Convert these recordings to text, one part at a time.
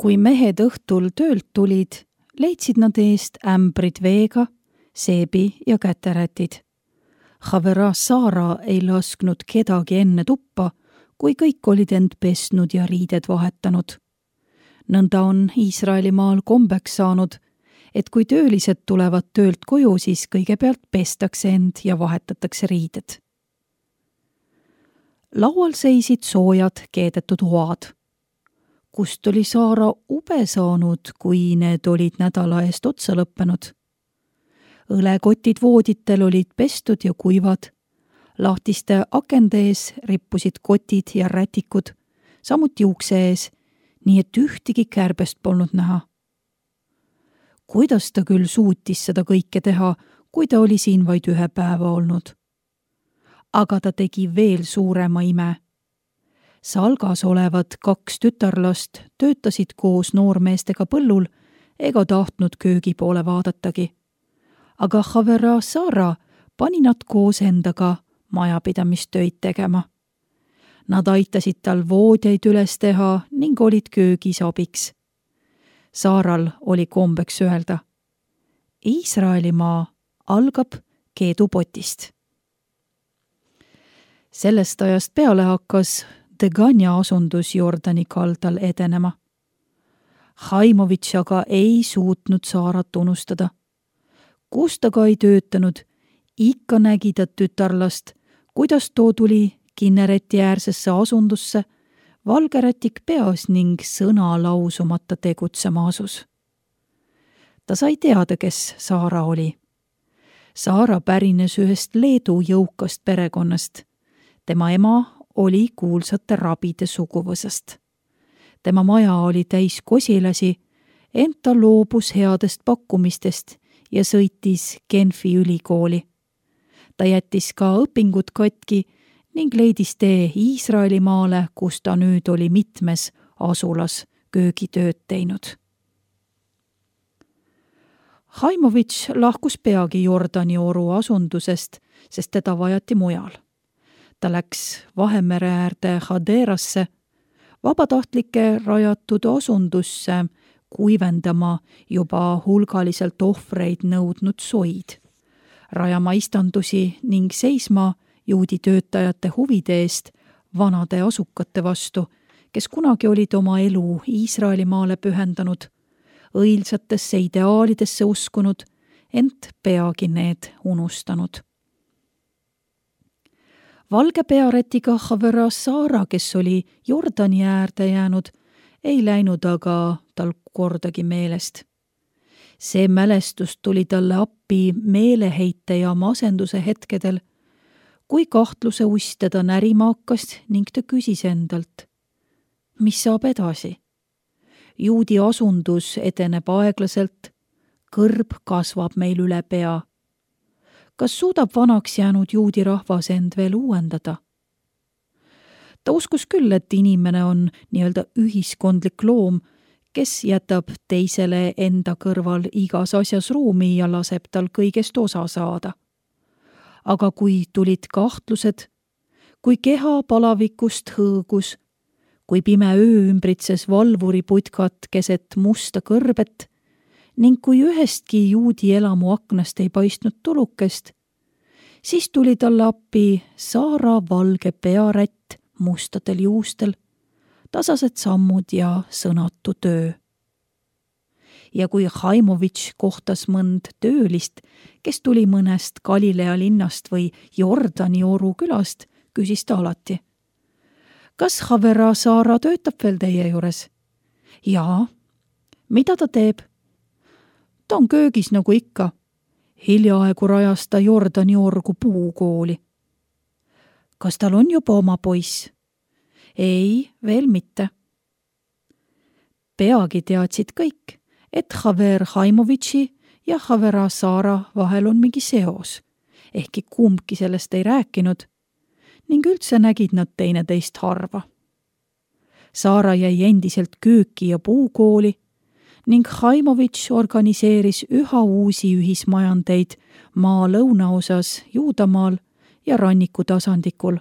Kui mehed õhtul töölt tulid, leidsid nad eest ämbrid veega, seebi ja käterätid. Havera Saara ei lasknud kedagi enne tuppa, kui kõik olid end pesnud ja riided vahetanud. Nõnda on Iisraelimaal kombeks saanud, et kui töölised tulevad töölt koju, siis kõigepealt pestakse end ja vahetatakse riided. Laual seisid soojad keedetud hoad. Kust oli Saara ube saanud, kui need olid nädala eest otsa lõppenud? Õlekotid vooditel olid pestud ja kuivad. Lahtiste akende ees rippusid kotid ja rätikud, samuti ukse ees, nii et ühtegi kärbest polnud näha. Kuidas ta küll suutis seda kõike teha, kui ta oli siin vaid 1 päeva olnud? Aga ta tegi veel suurema ime. Salgas olevad 2 tütarlast töötasid koos noormeestega põllul ega tahtnud köögi poole vaadatagi. Aga Havera Saara pani nad koos endaga majapidamistöid tegema. Nad aitasid tal voodjaid üles teha ning olid köögis abiks. Saaral oli kombeks öelda: Iisraelimaa algab keedupotist. Sellest ajast peale hakkas Degania asundus Jordani kaldal edenema. Haimovitš aga ei suutnud Saarat unustada. Kus ta ka ei töötanud, ikka nägi ta tütarlast, kuidas too tuli Kinnereti äärsesse asundusse, valgerätik peas ning sõna lausumata tegutsema asus. Ta sai teada, kes Saara oli. Saara pärines ühest Leedu jõukast perekonnast. Tema ema oli kuulsate rabide suguvõsast. Tema maja oli täis kosilasi, ent ta loobus headest pakkumistest ja sõitis Genfi ülikooli. Ta jättis ka õpingud katki ning leidis tee Iisraelimaale, kus ta nüüd oli mitmes asulas köögitööd teinud. Haimovitš lahkus peagi Jordani oru asundusest, sest teda vajati mujal. Ta läks Vahemere äärde Haderasse, vabatahtlike rajatud asundusse, kuivendama juba hulgaliselt ohvreid nõudnud soid, rajama istandusi ning seisma juudi töötajate huvide eest vanade asukate vastu, kes kunagi olid oma elu Iisraelimaale pühendanud, õilsatesse ideaalidesse uskunud, ent peagi need unustanud. Valge pearetiga Havera Saara, kes oli Jordani äärde jäänud, ei läinud aga tal kordagi meelest. See mälestus tuli talle appi meeleheite ja masenduse hetkedel, kui kahtluse uss teda närima hakkas ning ta küsis endalt: mis saab edasi? Juudi asundus edeneb aeglaselt, kõrb kasvab meil üle pea. Kas suudab vanaks jäänud juudi rahvas end veel uuendada? Ta uskus küll, et inimene on nii-öelda ühiskondlik loom, kes jätab teisele enda kõrval igas asjas ruumi ja laseb tal kõigest osa saada. Aga kui tulid kahtlused, kui keha palavikust hõõgus, kui pime öö ümbritses valvuriputkat keset musta kõrbet ning kui ühestki juudi elamu aknast ei paistnud tulukest, siis tuli talle appi Saara valge pearätt mustadel juustel, tasased sammud ja sõnatu töö. Ja kui Haimovitš kohtas mõnd töölist, kes tuli mõnest Galilea linnast või Jordani oru külast, küsis ta alati: kas Havera Saara töötab veel teie juures? Jaa. Mida ta teeb? Ta on köögis nagu ikka. Hiljaaegu rajas ta Jordani orgu puukooli. Kas tal on juba oma poiss? Ei, veel mitte. Peagi teadsid kõik, et Haver Haimovitši ja Havera Saara vahel on mingi seos, ehkki kumbki sellest ei rääkinud, ning üldse nägid nad teineteist harva. Saara jäi endiselt kööki ja puukooli ning Haimovitš organiseeris üha uusi ühismajandeid maa lõunaosas Juudamaal ja ranniku tasandikul,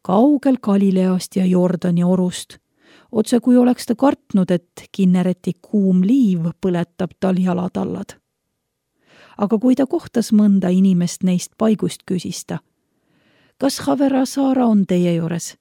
kaugel Galileast ja Jordani orust, Otse kui oleks ta kartnud, et Kinnereti kuum liiv põletab tal jalatallad. Aga kui ta kohtas mõnda inimest neist paigust, küsis ta: kas Havera Saara on teie juures?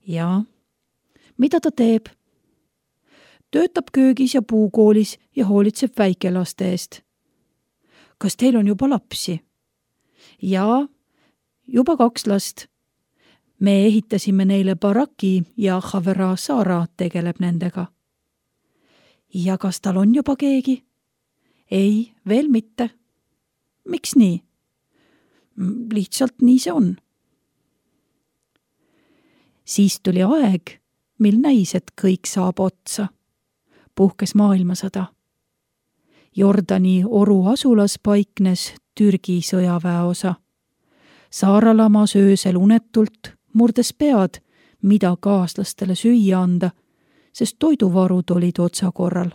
Jaa. Mida ta teeb? Töötab köögis ja puukoolis ja hoolitseb väikelaste eest. Kas teil on juba lapsi? Jaa, juba 2 last. Me ehitasime neile baraki ja Havera Saara tegeleb nendega. Ja kas tal on juba keegi? Ei, veel mitte. Miks nii? Lihtsalt nii see on. Siis tuli aeg, mil näis, et kõik saab otsa. Puhkes maailmasõda. Jordani oru asulas paiknes Türgi sõjaväeosa. Saara lamas öösel unetult, murdes pead, mida kaaslastele süüa anda, sest toiduvarud olid otsakorral.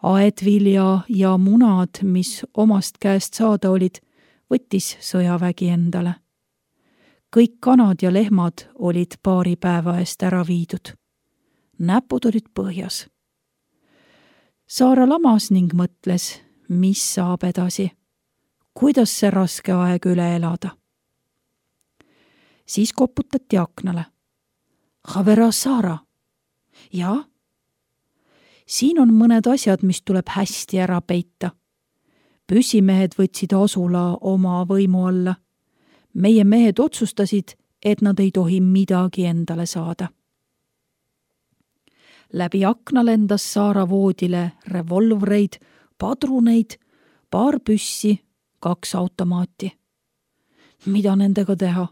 Aedvilja ja munad, mis omast käest saada olid, võttis sõjavägi endale. Kõik kanad ja lehmad olid paari päeva eest ära viidud. Näpud olid põhjas. Saara lamas ning mõtles, mis saab edasi. Kuidas see raske aeg üle elada? Siis koputati aknale. Havera Saara. Jaa? Siin on mõned asjad, mis tuleb hästi ära peita. Püssimehed võtsid asula oma võimu alla. Meie mehed otsustasid, et nad ei tohi midagi endale saada. Läbi akna lendas Saara voodile revolvreid, padruneid, 2 püssi, 2 automaati. Mida nendega teha?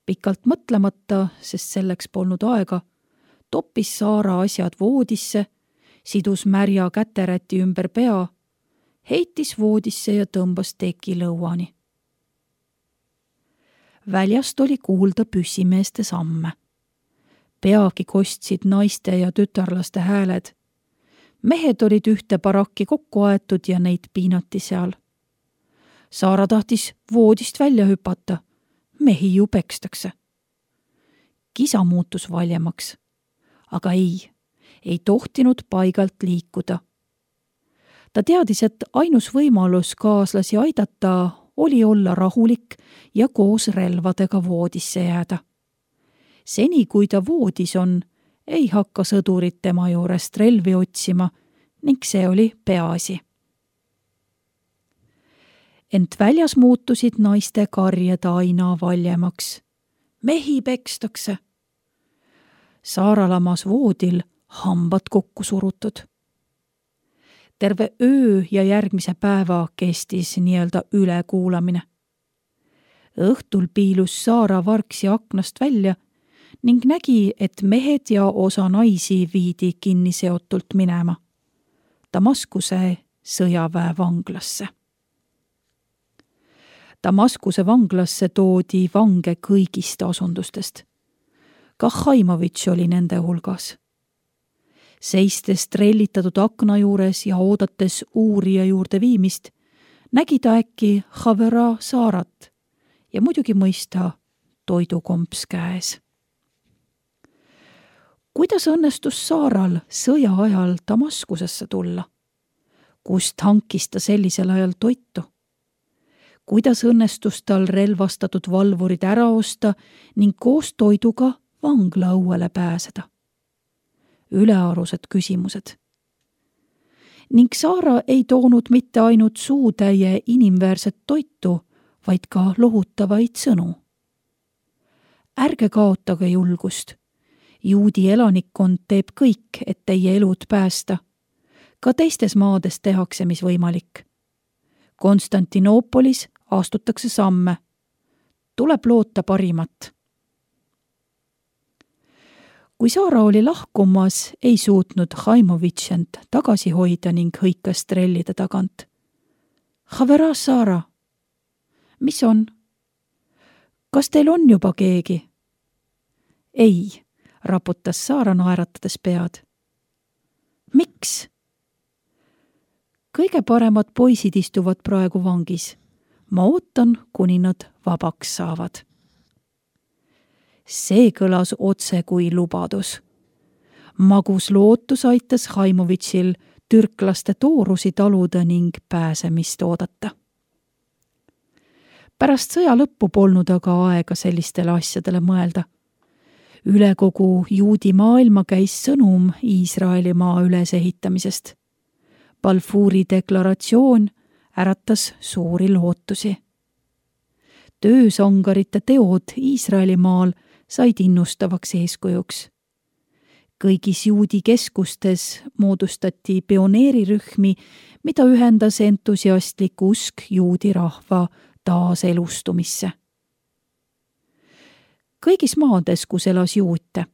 Pikalt mõtlemata, sest selleks polnud aega, toppis Saara asjad voodisse, sidus märja käteräti ümber pea, heitis voodisse ja tõmbas teki lõuani. Väljast oli kuulda püssimeeste samme. Peagi kostsid naiste ja tütarlaste hääled. Mehed olid ühte barakki kokku aetud ja neid piinati seal. Saara tahtis voodist välja hüpata. Mehi ju pekstakse. Kisa muutus valjemaks. Aga ei tohtinud paigalt liikuda. Ta teadis, et ainus võimalus kaaslasi aidata oli olla rahulik ja koos relvadega voodisse jääda. Seni, kui ta voodis on, ei hakka sõdurid tema juurest relvi otsima ning see oli peaasi. Ent väljas muutusid naiste karjed aina valjemaks. Mehi pekstakse. Saara lamas voodil, hambad kokku surutud. Terve öö ja järgmise päeva kestis nii-öelda ülekuulamine. Õhtul piilus Saara vargsi aknast välja ning nägi, et mehed ja osa naisi viidi kinniseotult minema Damaskuse sõjaväevanglasse. Damaskuse vanglasse toodi vange kõigist asundustest. Ka Haimovitš oli nende hulgas. Seistes trellitatud akna juures ja oodates uurija juurde viimist, nägi ta äkki Havera Saarat ja muidugi mõista toidukomps käes. Kuidas õnnestus Saaral sõja ajal Damaskusesse tulla? Kust hankis ta sellisel ajal toitu? Kuidas õnnestus tal relvastatud valvurid ära osta ning koos toiduga vangla õuele pääseda? Ülearused küsimused. Ning Saara ei toonud mitte ainult suutäie inimväärset toitu, vaid ka lohutavaid sõnu. Ärge kaotage julgust. Juudi elanikkond teeb kõik, et teie elud päästa. Ka teistes maades tehakse, mis võimalik. Konstantinoopolis astutakse samme. Tuleb loota parimat. Kui Saara oli lahkumas, ei suutnud Haimovitš end tagasi hoida ning hõikas trellide tagant. Havera Saara, mis on? Kas teil on juba keegi? Ei, raputas Saara naeratades pead. Miks? Kõige paremad poisid istuvad praegu vangis. Ma ootan, kuni nad vabaks saavad. See kõlas otse kui lubadus. Magus lootus aitas Haimovitšil türklaste toorusi taluda ning pääsemist oodata. Pärast sõja lõppu polnud aga aega sellistele asjadele mõelda. Üle kogu juudi maailma käis sõnum Iisraelimaa ülesehitamisest. Balfouri deklaratsioon äratas suuri lootusi. Töösangarite teod Iisraelimaal said innustavaks eeskujuks. Kõigis juudi keskustes moodustati pioneerirühmi, mida ühendas entusiastlik usk juudi rahva taaselustumisse. Kõigis maades, kus elas juute,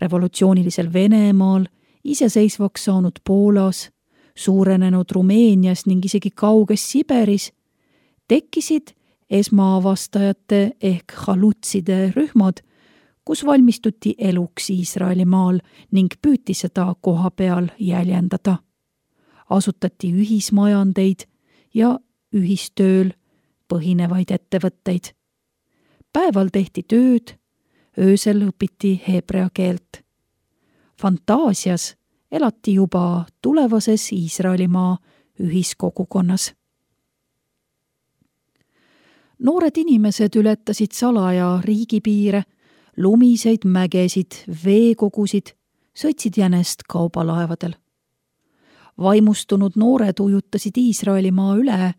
revolutsioonilisel Venemaal, iseseisvaks saanud Poolas, suurenenud Rumeenias ning isegi kauges Siberis, tekkisid esmaavastajate ehk halutside rühmad, kus valmistuti eluks Iisraelimaal ning püüti seda koha peal jäljendada. Asutati ühismajandeid ja ühistööl põhinevaid ettevõtteid. Päeval tehti tööd, öösel õpiti heebrea keelt. Fantaasias elati juba tulevases Iisraelimaa ühiskogukonnas. Noored inimesed ületasid salaja riigipiire, lumiseid mägesid, veekogusid, sõitsid jänest kaubalaevadel. Vaimustunud noored ujutasid Iisraelimaa üle,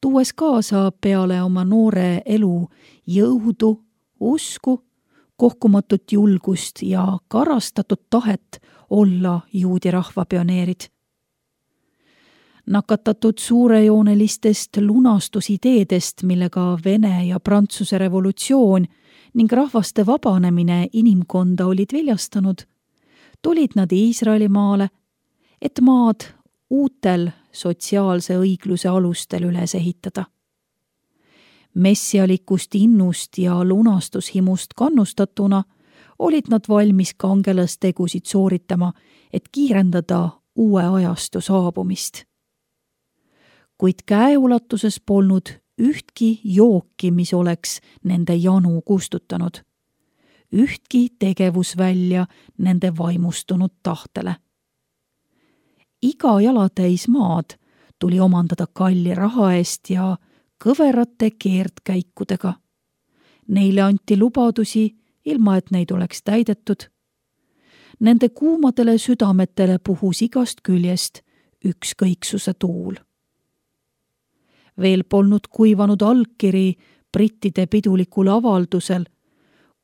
tuues kaasa peale oma noore elu jõudu, usku, kohkumatut julgust ja karastatud tahet olla juudi rahva pioneerid. Nakatatud suurejoonelistest lunastusideedest, millega Vene ja Prantsuse revolutsioon ning rahvaste vabanemine inimkonda olid viljastanud, tulid nad Iisraelimaale, et maad uutel sotsiaalse õigluse alustel üles ehitada. Messialikust innust ja lunastushimust kannustatuna olid nad valmis kangelastegusid sooritama, et kiirendada uue ajastu saabumist. Kuid käeulatuses polnud ühtki jooki, mis oleks nende janu kustutanud. Ühtki tegevusvälja nende vaimustunud tahtele. Iga jalatäis maad tuli omandada kalli raha eest ja kõverate keerdkäikudega. Neile anti lubadusi, ilma et neid oleks täidetud. Nende kuumadele südametele puhus igast küljest ükskõiksuse tuul. Veel polnud kuivanud allkiri brittide pidulikul avaldusel,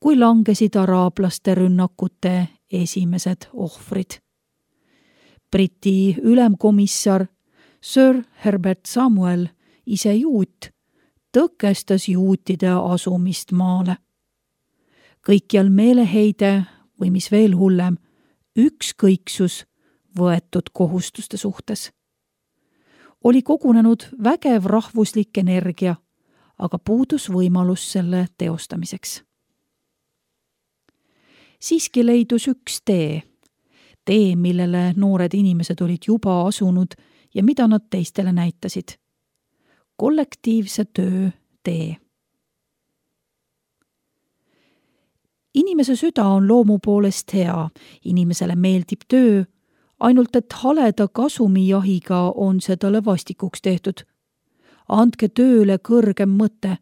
kui langesid araablaste rünnakute esimesed ohvrid. Briti ülemkomissar Sir Herbert Samuel, ise juut, tõkestas juutide asumist maale. Kõikjal meeleheide või mis veel hullem, ükskõiksus võetud kohustuste suhtes. Oli kogunenud vägev rahvuslik energia, aga puudus võimalus selle teostamiseks. Siiski leidus üks tee, millele noored inimesed olid juba asunud ja mida nad teistele näitasid. Kollektiivse töö tee. Inimese süda on loomu poolest hea, inimesele meeldib töö, ainult et haleda kasumijahiga on see talle vastikuks tehtud. Andke tööle kõrgem mõte.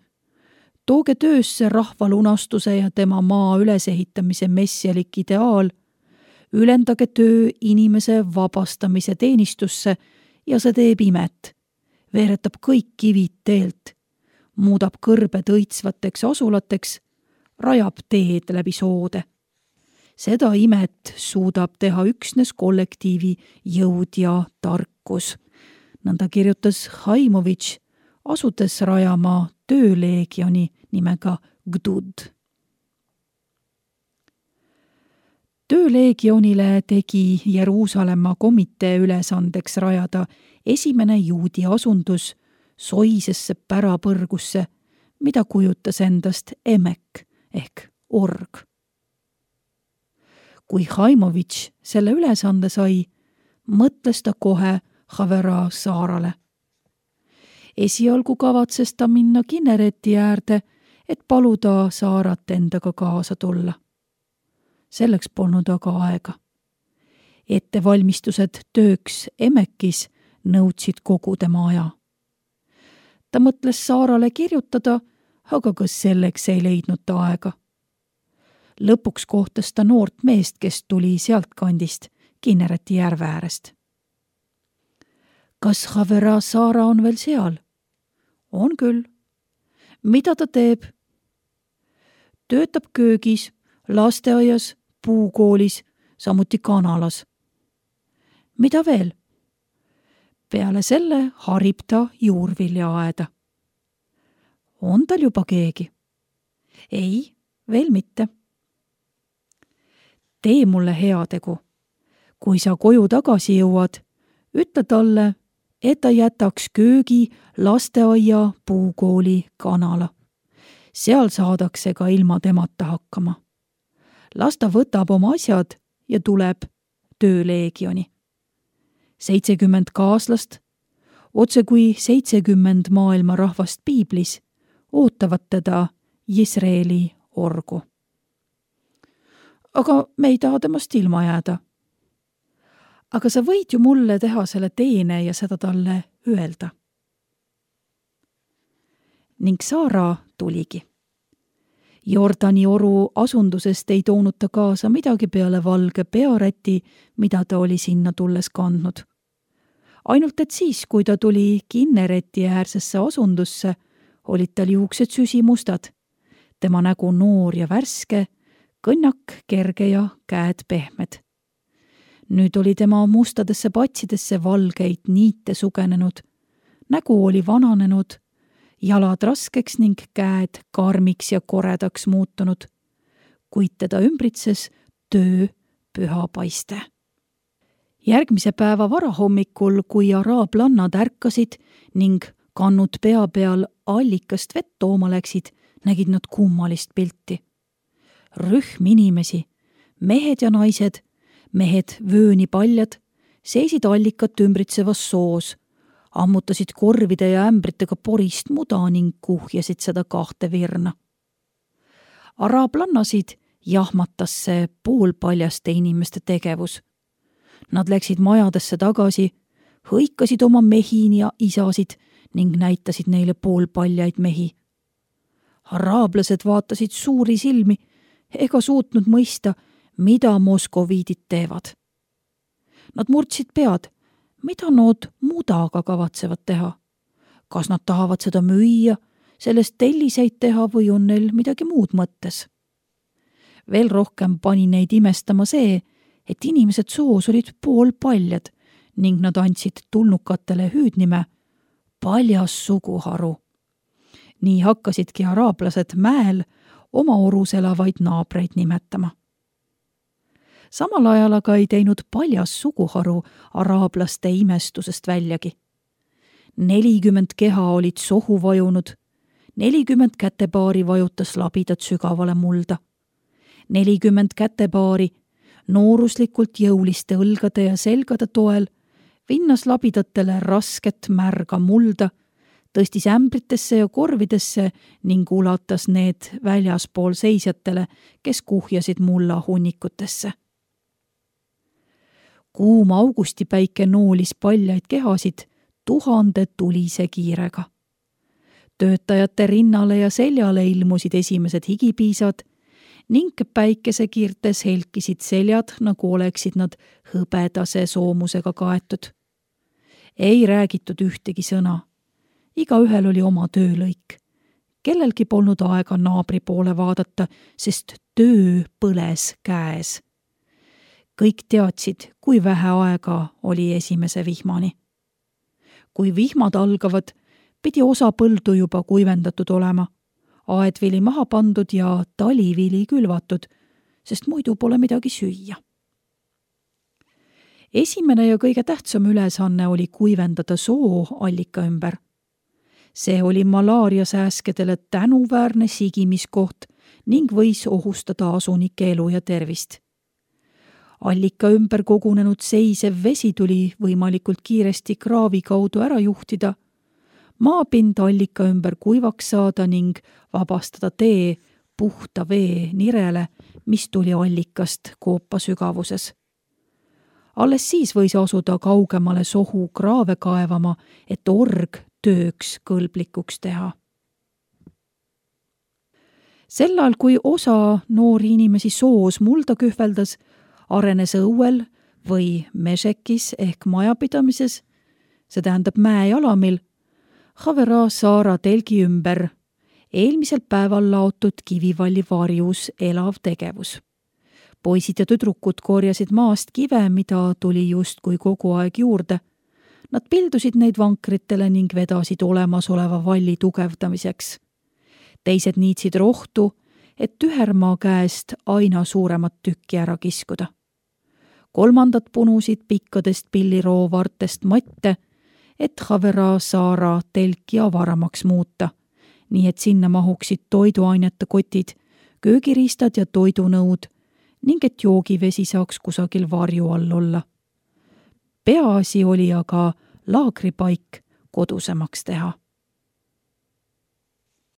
Tooge töösse rahvalunastuse ja tema maa ülesehitamise messialik ideaal. Ülendage töö inimese vabastamise teenistusse ja see teeb imet. Veeretab kõik kivid teelt, muudab kõrbed õitsvateks asulateks, rajab teed läbi soode. Seda imet suudab teha üksnes kollektiivi jõud ja tarkus. Nõnda kirjutas Haimovitš, asudes rajama tööleegioni nimega Gdud. Tööleegionile tegi Jeruusalemma komitee ülesandeks rajada esimene juudi asundus soisesse pärapõrgusse, mida kujutas endast emek ehk org. Kui Haimovitš selle ülesande sai, mõtles ta kohe Havera saarale. Esialgu kavatses ta minna Kinnereti äärde, et paluda Saarat endaga kaasa tulla. Selleks polnud aga aega. Ettevalmistused tööks Emekis nõudsid kogu tema aja. Ta mõtles Saarale kirjutada, aga ka selleks ei leidnud ta aega. Lõpuks kohtas ta noort meest, kes tuli sealt kandist, Kinnereti järve äärest. Kas Havera Saara on veel seal? On küll. Mida ta teeb? Töötab köögis, lasteaias, puukoolis, samuti kanalas. Mida veel? Peale selle harib ta juurviljaaeda. On tal juba keegi? Ei, veel mitte. Tee mulle heategu. Kui sa koju tagasi jõuad, ütle talle, et ta jätaks köögi, lasteaia, puukooli, kanala. Seal saadakse ka ilma temata hakkama. Las ta võtab oma asjad ja tuleb tööleegioni. 70 kaaslast, otse kui 70 maailma rahvast piiblis, ootavad teda Jisraeli orgu. Aga me ei taha temast ilma jääda. Aga sa võid ju mulle teha selle teene ja seda talle öelda. Ning Saara tuligi. Jordani oru asundusest ei toonud ta kaasa midagi peale valge pearäti, mida ta oli sinna tulles kandnud. Ainult et siis, kui ta tuli Kinnereti äärsesse asundusse, olid tal juuksed süsimustad, tema nägu noor ja värske, kõnnak kerge ja käed pehmed. Nüüd oli tema mustadesse patsidesse valgeid niite sugenenud, nägu oli vananenud, jalad raskeks ning käed karmiks ja koredaks muutunud, kuid teda ümbritses töö püha paiste. Järgmise päeva varahommikul, kui araablannad ärkasid ning kannud pea peal allikast vett tooma läksid, nägid nad kummalist pilti. Rühm inimesi, mehed ja naised, mehed vöönipaljad, seisid allikat ümbritsevas soos, ammutasid korvide ja ämbritega porist muda ning kuhjasid seda 2 virna. Araablannasid jahmatas see poolpaljaste inimeste tegevus. Nad läksid majadesse tagasi, hõikasid oma mehi ja isasid ning näitasid neile poolpaljaid mehi. Araablased vaatasid suuri silmi ega suutnud mõista, mida moskoviidid teevad. Nad murdsid pead, mida nad mudaga kavatsevad teha. Kas nad tahavad seda müüa, sellest telliseid teha või on neil midagi muud mõttes? Veel rohkem pani neid imestama see, et inimesed soos olid poolpaljad ning nad andsid tulnukatele hüüdnime paljas suguharu. Nii hakkasidki araablased mäel oma orus elavaid naabreid nimetama. Samal ajal aga ei teinud paljas suguharu araablaste imestusest väljagi. 40 keha olid sohu vajunud, 40 kätepaari vajutas labidat sügavale mulda. 40 kätepaari nooruslikult jõuliste õlgade ja selgade toel vinnas labidatele rasket märga mulda, tõstis ämbritesse ja korvidesse ning ulatas need väljaspool seisjatele, kes kuhjasid mulla hunnikutesse. Kuum augustipäike noolis paljaid kehasid 1000 tulise kiirega. Töötajate rinnale ja seljale ilmusid esimesed higipiisad ning päikesekiirtes helkisid seljad, nagu oleksid nad hõbedase soomusega kaetud. Ei räägitud ühtegi sõna. Igaühel oli oma töölõik. Kellelgi polnud aega naabri poole vaadata, sest töö põles käes. Kõik teadsid, kui vähe aega oli esimese vihmani. Kui vihmad algavad, pidi osa põldu juba kuivendatud olema, aedvili maha pandud ja talivili külvatud, sest muidu pole midagi süüa. Esimene ja kõige tähtsam ülesanne oli kuivendada soo allika ümber. See oli malaariasääskedele tänuväärne sigimiskoht ning võis ohustada asunike elu ja tervist. Allika ümber kogunenud seisev vesi tuli võimalikult kiiresti kraavi kaudu ära juhtida. maapind allika ümber kuivaks saada ning vabastada tee puhta vee nirele, mis tuli allikast koopa sügavuses. Alles siis võis asuda kaugemale sohu kraave kaevama, et org tööks kõlblikuks teha. Sellal, kui osa noori inimesi soos mulda kühveldas, arenes õuel või mešekis ehk majapidamises, see tähendab mäejalamil, Havera saara telgi ümber eelmisel päeval laotud kivivalli varjus elav tegevus. Poisid ja tüdrukud korjasid maast kive, mida tuli justkui kogu aeg juurde. Nad pildusid neid vankritele ning vedasid olemasoleva valli tugevdamiseks. Teised niitsid rohtu, et tühermaa käest aina suuremat tükki ära kiskuda. Kolmandad punusid pikkadest pilliroovartest matte, et Havera saara telki avaramaks muuta, nii et sinna mahuksid toiduainete kotid, köögiriistad ja toidunõud ning et joogivesi saaks kusagil varju all olla. Peaasi oli aga laagripaik kodusemaks teha.